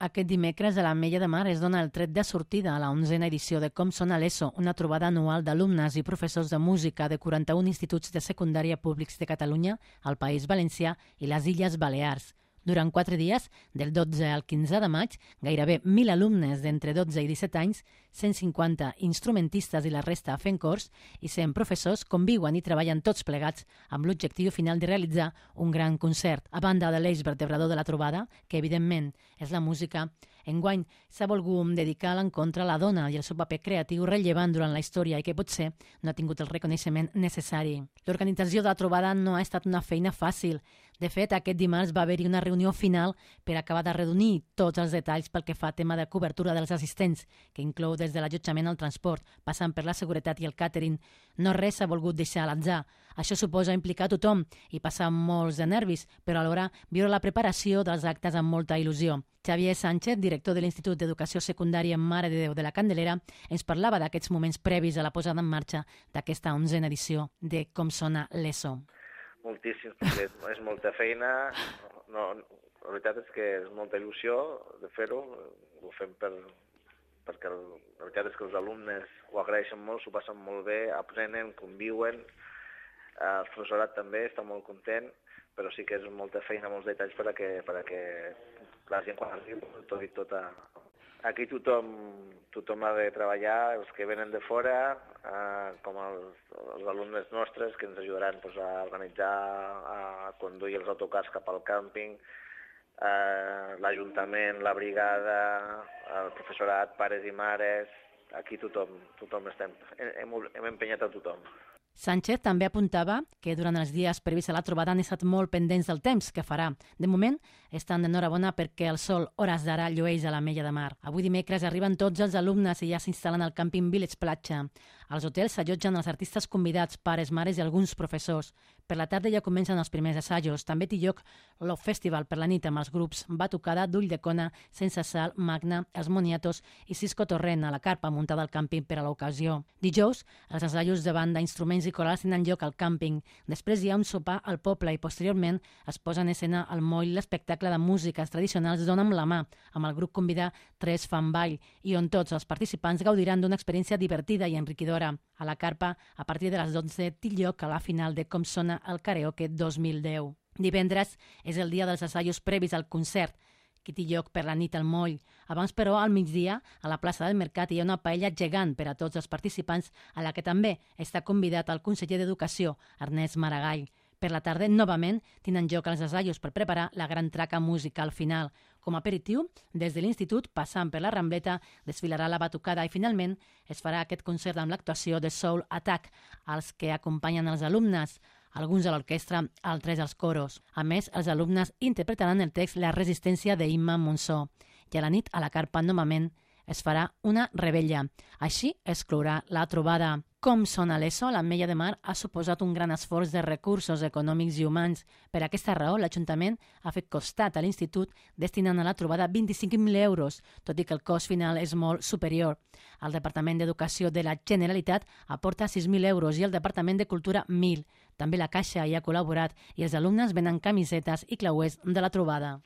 Aquest dimecres a l'Ametlla de Mar es dona el tret de sortida a la 11a edició de Com sona l'ESO, una trobada anual d'alumnes i professors de música de 41 instituts de secundària públics de Catalunya, el País Valencià i les Illes Balears. Durant 4 dies, del 12 al 15 de maig, gairebé 1.000 alumnes d'entre 12 i 17 anys, 150 instrumentistes i la resta fent cors i 100 professors conviuen i treballen tots plegats amb l'objectiu final de realitzar un gran concert. A banda de l'eix vertebrador de la trobada, que evidentment és la música, enguany s'ha volgut dedicar a l'encontre a la dona i el seu paper creatiu rellevant durant la història i que potser no ha tingut el reconeixement necessari. L'organització de la trobada no ha estat una feina fàcil. De fet, aquest dimarts va haver-hi una reunió final per acabar de redonir tots els detalls pel que fa a tema de cobertura dels assistents, que inclou des de l'allotjament al transport, passant per la seguretat i el càtering. No res s'ha volgut deixar a l'atzar. Això suposa implicar tothom i passar molts de nervis, però alhora viure la preparació dels actes amb molta il·lusió. Xavier Sánchez, director de l'Institut d'Educació Secundària Mare de Déu de la Candelera, ens parlava d'aquests moments previs a la posada en marxa d'aquesta 11a edició de Com sona l'ESO. Moltíssim, perquè és molta feina. La veritat és que és molta il·lusió de fer-ho. Ho fem perquè la veritat és que els alumnes ho agraeixen molt, s'ho passen molt bé, aprenen, conviuen. El professorat també està molt content, però sí que és molta feina, molts detalls perquè la gent quan arriba aquí tothom ha de treballar, els que venen de fora, com els alumnes nostres que ens ajudaran a organitzar, a conduir els autocars cap al càmping, l'Ajuntament, la brigada, el professorat, pares i mares, aquí tothom estem, hem empenyat a tothom. Sánchez també apuntava que durant els dies previs a la trobada han estat molt pendents del temps que farà. De moment, estan d'enhorabona perquè el sol, hores d'ara, llueix a l'Ametlla de Mar. Avui dimecres arriben tots els alumnes i ja s'instal·len al càmping Village Platja. Als hotels s'allotgen els artistes convidats, pares, mares i alguns professors. Per la tarda ja comencen els primers assajos. També té lloc l'Off Festival per la nit amb els grups Batucada, d'Ulldecona, Sense Sal, Magna, Els Moniatos i Cisco Torrent a la carpa muntada al càmping per a l'ocasió. Dijous, els assajos de banda, instruments i corals tenen lloc al càmping. Després hi ha un sopar al poble i posteriorment es posa en escena al moll l'espectacle de músiques tradicionals Dona amb la mà, amb el grup convidat Tres Fan Ball, i on tots els participants gaudiran d'una experiència divertida i enriquidora. A la carpa, a partir de les 12, té lloc a la final de Com sona el Karaoke 2010. Divendres és el dia dels assajos previs al concert, que té lloc per la nit al moll. Abans, però, al migdia, a la plaça del Mercat hi ha una paella gegant per a tots els participants, a la que també està convidat el conseller d'Educació, Ernest Maragall. Per la tarda, novament, tenen lloc els assajos per preparar la gran traca musical final. Com a aperitiu, des de l'Institut, passant per la Rambleta, desfilarà la batucada i, finalment, es farà aquest concert amb l'actuació de Soul Attack, als que acompanyen els alumnes, alguns a l'orquestra, altres als coros. A més, els alumnes interpretaran el text La resistència d'Imma Monsó. I a la nit, a la carpa, novament, es farà una rebella. Així es clourà la trobada. Com sona l'ESO, l'Ametlla de Mar ha suposat un gran esforç de recursos econòmics i humans. Per aquesta raó, l'Ajuntament ha fet costat a l'Institut destinant a la trobada 25.000 euros, tot i que el cost final és molt superior. El Departament d'Educació de la Generalitat aporta 6.000 euros i el Departament de Cultura 1.000. També la Caixa hi ha col·laborat i els alumnes venen camisetes i clauers de la trobada.